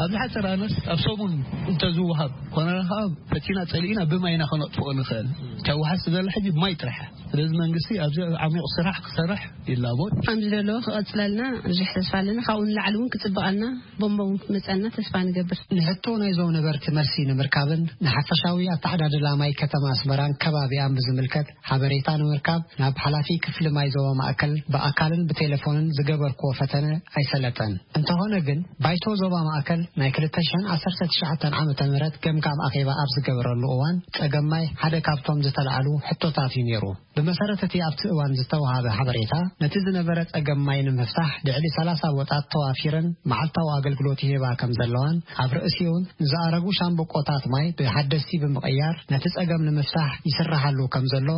ኣብ ዝሓጸረ ኣነስ ኣብ ሰሙን እንተዝወሃብ፣ ኮነ ከኣ ፈቲና ጸሊእና ብማይና ከነጥፍኦ ንኽእል። እታ ወሓስ ዘላ ሕጂ ብማይ ጥራሕ። ስለዚ መንግስቲ ኣብዚ ዓሚቕ ስራሕ ክሰርሕ ይላቦ። ከም ዝደለዎ ክቐጽለልና ብዙሕ ተስፋ ኣለና። ካብኡ ንላዕሊ እውን ክጽበቐልና፣ ቦምባ እውን ክመጸልና ተስፋ ንገብር። ንሕቶ ናይዞም ነበርቲ መልሲ ንምርካብን ንሓፈሻዊ ኣተዓዳድላ ማይ ከተማ ኣስመራን ከባቢኣን ብዝምልከት ሓበሬታ ንምርካብ ናብ ሓላፊ ክፍሊ ማይ ዞባ ማእከል ብኣካልን ብቴሌፎንን ዝገበርክዎ ፈተነ ኣይሰለጠን። እንተኾነ ግን ባይቶ ዞባ ማእከል ናይ ክልተ ሽሕን ዓሰርተ ትሽዓተን ዓመተ ምህረት ገምጋም ኣኼባ ኣብ ዝገበረሉ እዋን ጸገም ማይ ሓደ ካብቶም ዝተላዕሉ ሕቶታት እዩ ነይሩ። ብመሰረት እቲ ኣብቲ እዋን ዝተወሃበ ሓበሬታ፣ ነቲ ዝነበረ ጸገም ማይ ንምፍታሕ ልዕሊ ሰላሳ ቦጣት ተዋፊረን መዓልታዊ ኣገልግሎት ይህባ ከም ዘለዋን፣ ኣብ ርእሲኡን ንዝኣረጉ ሻምብቆታት ማይ ብሓደስቲ ብምቕያር ነቲ ጸገም ንምፍታሕ ይስራሓሉ ከም ዘሎ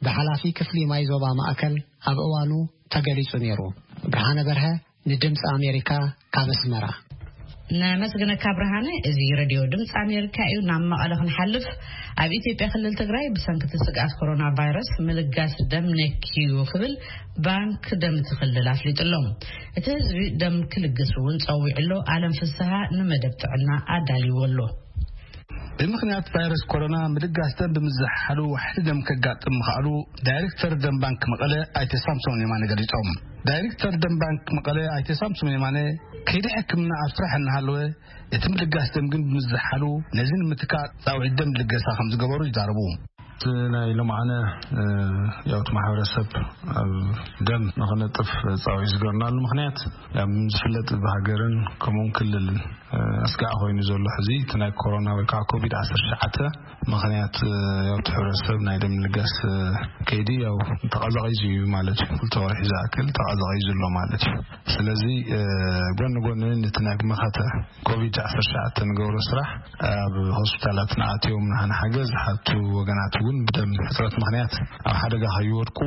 ብሓላፊ ክፍሊ ማይ ዞባ ማእከል ኣብ እዋኑ ተገሊጹ ነይሩ። ብርሃነ በርሀ፣ ንድምፂ ኣሜሪካ ካብ ኣስመራ። ነመስግነካ ብርሃነ። እዚ ሬድዮ ድምፂ ኣሜሪካ እዩ። ናብ መቐለ ክንሓልፍ፣ ኣብ ኢትዮጵያ ክልል ትግራይ ብሰንኪ እቲ ስግኣት ኮሮና ቫይረስ ምልጋስ ደም ነክዩ ክብል ባንክ ደም እቲ ክልል ኣፍሊጡ ኣሎ። እቲ ህዝቢ ደም ክልግስ እውን ፀዊዑ ኣሎ። ኣለም ፍስሃ ንመደብ ጥዕና ኣዳልይዎ ኣሎ። ብምኽንያት ቫይረስ ኮሮና ምልጋስ ደም ብምዝሓሉ ዋሕዲ ደም ከጋጥም ምኽኣሉ ዳይሬክተር ደም ባንክ መቐለ ኣይተ ሳምሶም የማነ ገሊጾም። ዳይሬክተር ደም ባንክ መቐለ ኣይተ ሳምሶም የማነ ከይዲ ሕክምና ኣብ ስራሕ እናሃለወ እቲ ምልጋስ ደም ግን ብምዝሓሉ ነዚ ንምትካእ ጻውዒት ደም ልገሳ ከም ዝገበሩ ይዛረቡ። እቲ ናይ ሎማዓነ ያውት ማሕበረሰብ ኣብ ደም ንኽነጥፍ ጻውዒት ዝገርናሉ ምኽንያት ያም ዝፍለጥ ብሃገርን ከምኡን ክልልን ኣስጋዕ ኮይኑ ዘሎ ሕዚ እቲ ናይ ኮሮና ወይ ከዓ ኮቪድ ዓሰርተ ትሽዓተ ምኽንያት ያውት ሕብረተሰብ ናይ ደም ልጋስ ከይዲ ያው ተቐዛቒዙ እዩ ማለት እዩ። ክልተ ወርሒ ዝኣክል ተቐዛቒዙ ኣሎ ማለት እዩ። ስለዚ ጎኒ ጎኒ ነቲ ናይ መኸተ ኮቪድ ዓሰርተ ትሽዓተ ንገብሮ ስራሕ ኣብ ሆስፒታላት ንኣትዮም ንሓገዝ ሓቱ ወገናት እውን ብደም ሕፅረት ምኽንያት ኣብ ሓደጋ ከይወድቁ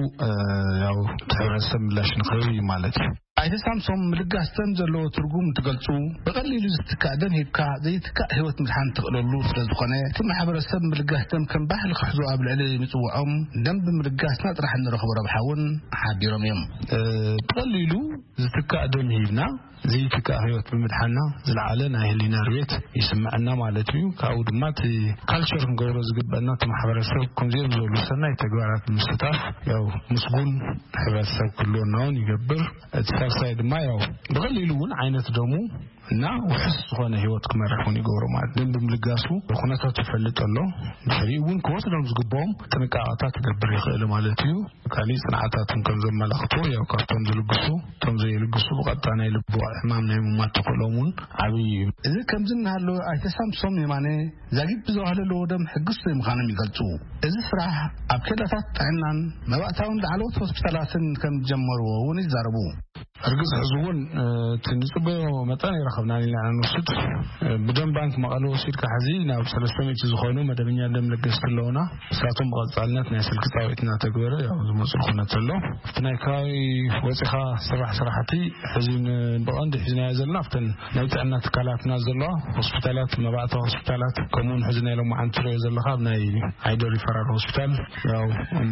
ያው እቲ ሕብረተሰብ ምላሽ ንኽህብ እዩ ማለት እዩ። ኣይተ ሳምሶም ምልጋስ ደም ዘለዎ ትርጉም እንትገልጹ ብቐሊሉ ዝትካእ ደም ሂብካ ዘይትካእ ህይወት ምድሓን ትኽእለሉ ስለ ዝኾነ እቲ ማሕበረሰብ ምልጋስ ደም ከም ባህሊ ክሕዞ ኣብ ልዕሊ ምጽውዖም ደም ብምልጋስና ጥራሕ እንረኽቦ ረብሓ እውን ሓቢሮም እዮም። ብቐሊሉ ዝትካእ ደም ሂብና ዘይትካእ ህይወት ብምድሓና ዝለዓለ ናይ ህሊና ርቤት ይስምዐና ማለት እዩ። ካብኡ ድማ እቲ ካልቸር ክንገብሮ ዝግበአና እቲ ማሕበረሰብ ከምዚኦም ዝበሉ ሰናይ ተግባራት ምስታፍ ያው ምስጉን ሕብረተሰብ ክህልወና እውን ይገብር። እቲ ሳልሳይ ድማ ያው ብቐሊሉ እውን ዓይነት ደሙ እና ውሕስ ዝኾነ ህይወት ክመርሕ እውን ይገብሮ ማለት ደም ብምልጋሱ ኩነታት ይፈልጥ ኣሎ። ድሕሪኡ እውን ክወስዶም ዝግብኦም ጥንቃቐታት ክገብር ይኽእል ማለት እዩ። ካሊእ ፅንዓታትን ከም ዘመላኽቱ ያው ካብቶም ዝልግሱ እቶም ዘይልግሱ ብቐጥታ ናይ ልቢ ሕማም ናይ ምማት ተኽእሎም እውን ዓብዪ እዩ። እዚ ከምዚ እናሃለወ ኣይተ ሳምሶም የማነ ዛጊት ብዝባህለለዎ ደም ሕጉስ ዘይምዃኖም ይገልጹ። እዚ ስራሕ ኣብ ኬላታት ጥዕናን መባእታውን ላዕለዎት ሆስፒታላትን ከም ጀመርዎ እውን ይዛረቡ። እርግፅ ሕዚ እውን እቲ ንፅበዮ መጠን ይረኸብና ኢና ንወስድ። ብደም ባንክ መቐለ ወሲድካ ሕዚ ናብ ሰለስተ ሚእቲ ዝኾኑ መደበኛ ደም ለገስቲ ኣለውና። ንሳቶም ብቐጻልነት ናይ ስልኪ ጻውዒት እናተግበረ ያው ዝመጽኡ ኩነት ዘሎ። ኣብቲ ናይ ከባቢ ወጺኻ ስራሕ ስራሕቲ ሕዚ ን- ብቐንዱ ሒዝናዮ ዘለና ኣብተን ናይ ጥዕና ትካላትና ዘለዋ ሆስፒታላት፣ መባእታ ሆስፒታላት፣ ከምኡውን ሕዚ ናይ ሎማዓንቲ ትሪኦ ዘለኻ ኣብ ናይ ዓይደ ሪፈራል ሆስፒታል ያው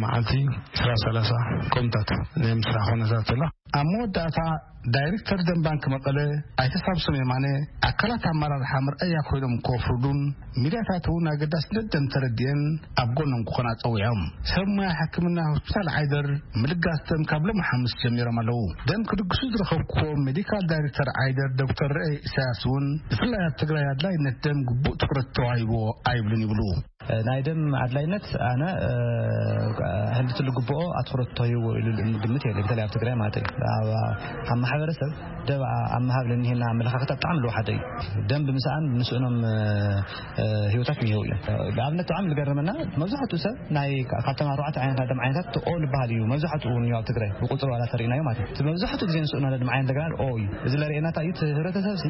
መዓልቲ ዕስራ ሰላሳ ከምታት ናይ ምስራሕ ኩነታት ኣሎ። ኣብ መወዳእታ ዳይሬክተር ደም ባንክ መቐለ ኣይተ ሳምሶም የማነ ኣካላት ኣመራርሓ መርኣያ ኮይኖም ከፍርዱን ሚድያታት እውን ኣገዳስነት ደም ተረዲኤን ኣብ ጎኖም ክኾና ጸዊዖም። ሰብ ሞያ ሕክምና ሆስፒታል ዓይደር ምልጋስ ደም ካብ ሎሚ ሓሙስ ጀሚሮም ኣለዉ። ደም ክልግሱ ዝረኸብኩዎ ሜዲካል ዳይሬክተር ዓይደር ዶክተር ርኤ ኢሳያስ እውን ብፍላይ ኣብ ትግራይ ኣድላይነት ደም ግቡእ ትኹረት ተዋሂብዎ ኣይብሉን ይብሉ። ናይ ደም ኣድላይነት ኣነ ሕንድቲ ልግብኦ ኣትኩረት ተዋሂብዎ ኢሉ ግምት የለ። በተለይ ኣብ ትግራይ ማለት እዩ። ኣብ ማሕበረሰብ ደም ኣብ ምሃብ ለኒሄና ኣመለኻኸታ ብጣዕሚ ለዋሓደ እዩ። ደም ብምስኣን ንስእኖም ህይወታት እኒሄው እዮም። ንኣብነት ብጣዕሚ ዝገርመና መብዛሕትኡ ሰብ ናይ ካብቶም ኣርባዕተ ዓይነት ደም ዓይነታት ኦ ዝበሃል እዩ። መብዛሕትኡ እውን ኣብ ትግራይ ብቁፅሪ ዋላ ተሪእናዮ ማለት እዩ። መብዛሕትኡ ግዜ ንስእኖ ደም ዓይነት እንደገና ኦ እዩ። እዚ ለርእየና እንታይ እዩ? እቲ ህብረተሰብ ሲ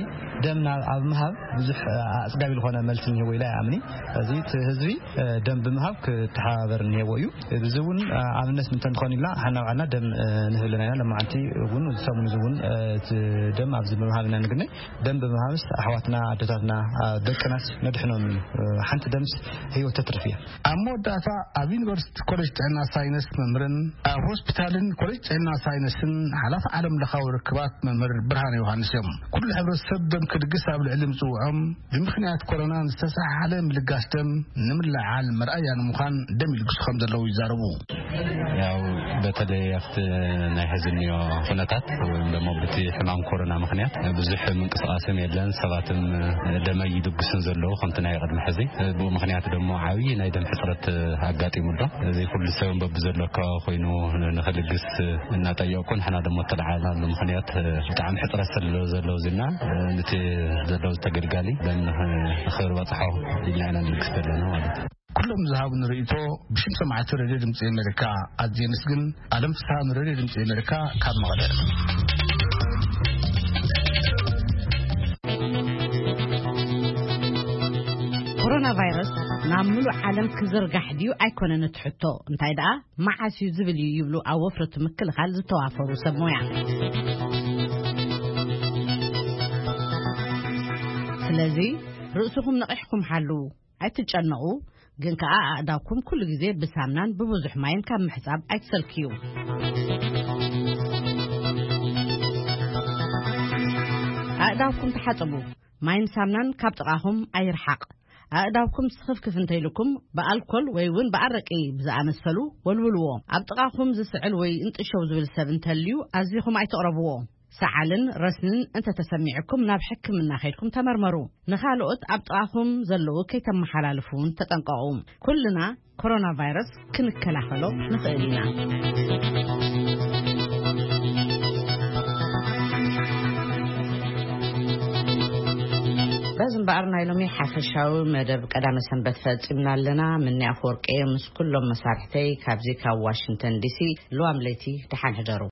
ደም ናብ ኣብ ምሃብ ብዙሕ ኣፅጋቢ ዝኾነ መልሲ እኒሄዎ ኢላ ይኣምኒ። እዚ እቲ ህዝቢ ደም ብምሃብ ክተሓባበር እኒሄዎ እዩ። እዚ እውን ኣብነት ምንተ ንኾን ኢልና ሓና ባዕልና ደም ንህብ ኣለና ኢና። ለማዓንቲ እውን ሰሙን እዚ እውን እቲ ደም ኣብዚ ብምሃብ ኢና ንግነይ። ደም ብምሃብስ ኣሕዋትና ኣዶታትና ደቅናስ ነድሕኖም እዩ። ሓንቲ ደምስ ህይወት ተትርፍ እያ። ኣብ መወዳእታ ኣብ ዩኒቨርሲቲ ኮሌጅ ጥዕና ሳይንስ መምህርን ኣብ ሆስፒታልን ኮሌጅ ጥዕና ሳይንስን ሓላፊ ዓለም ለኻዊ ርክባት መምህር ብርሃን ዮሃንስ እዮም። ኩሉ ሕብረተሰብ ደም ክልግስ ኣብ ልዕሊ ምፅውዖም ብምኽንያት ኮሮና ዝተሰሓሓለ ምልጋስ ደም ንምልዓል መርኣያ ንምዃን ደም ይልግሱ ከም ዘለዉ ይዛረቡ። ያው በተለይ ኣብቲ ናይ ሕዚ እኒኦ ኩነታት ወይም ደሞ ብቲ ሕማም ኮሮና ምኽንያት ብዙሕ ምንቅስቃስም የለን። ሰባትም ደመ ይልግሱን ዘለዉ ከምቲ ናይ ቅድሚ ሕዚ። ብኡ ምኽንያት ደሞ ዓብዪ ናይ ደም ሕፅረት ኣጋጢሙ ኣሎ። እዚ ኩሉ ሰብ በብዘሎ ኣካባቢ ኮይኑ ንኽልግስ እናጠየቁ ንሕና ደሞ እተለዓልናሉ ምኽንያት ብጣዕሚ ሕፅረት ስለ ዘለዉ ዝና ንቲ ዘለዉ ተገልጋሊ ደም ንኽበፅሖ ኢልና ኢና ንልግስ ዘለና ማለት እዩ። ኩሎም ዝሃቡኒ ርእይቶ ብሽም ሰማዕቲ ሬድዮ ድምፂ ኣሜሪካ ኣዝየ ምስግን። ኣለም ፍስሃ ንሬድዮ ድምፂ ኣሜሪካ ካብ መቐለ። ኮሮና ቫይረስ ናብ ምሉእ ዓለም ክዝርጋሕ ድዩ ኣይኮነን እቲ ሕቶ፣ እንታይ ደኣ መዓስ እዩ ዝብል እዩ ይብሉ ኣብ ወፍሪ እቲ ምክልኻል ዝተዋፈሩ ሰብ ሞያ። ስለዚ ርእስኹም ነቒሕኩም ሓልዉ። ኣይትጨነቑ፣ ግን ከኣ ኣእዳውኩም ኩሉ ግዜ ብሳምናን ብብዙሕ ማይን ካብ ምሕጻብ ኣይትሰልክዩ። ኣእዳውኩም ተሓጽቡ፣ ማይን ሳምናን ካብ ጥቓኹም ኣይርሓቕ። ኣእዳውኩም ስኽፍክፍ እንተይልኩም ብኣልኮል ወይ እውን ብኣረቂ ብዝኣመሰሉ ወልውልዎ። ኣብ ጥቓኹም ዝስዕል ወይ እንጥሸው ዝብል ሰብ እንተልዩ ኣዚኹም ኣይተቕረብዎ። ሰዓልን ረስንን እንተተሰሚዕኩም ናብ ሕክምና ከይድኩም ተመርመሩ። ንኻልኦት ኣብ ጥቓኹም ዘለዉ ከይተመሓላልፉ እውን ተጠንቀቑ። ኩልና ኮሮና ቫይረስ ክንከላኸሎ ንኽእል ኢና። በዚ እምበኣር ናይ ሎሚ ሓፈሻዊ መደብ ቀዳመ ሰንበት ፈጺምና ኣለና። ምኒ ኣፈወርቂ ምስ ኩሎም መሳርሕተይ ካብዚ ካብ ዋሽንግተን ዲሲ፣ ልዋም ለይቲ ደሓን ሕደሩ።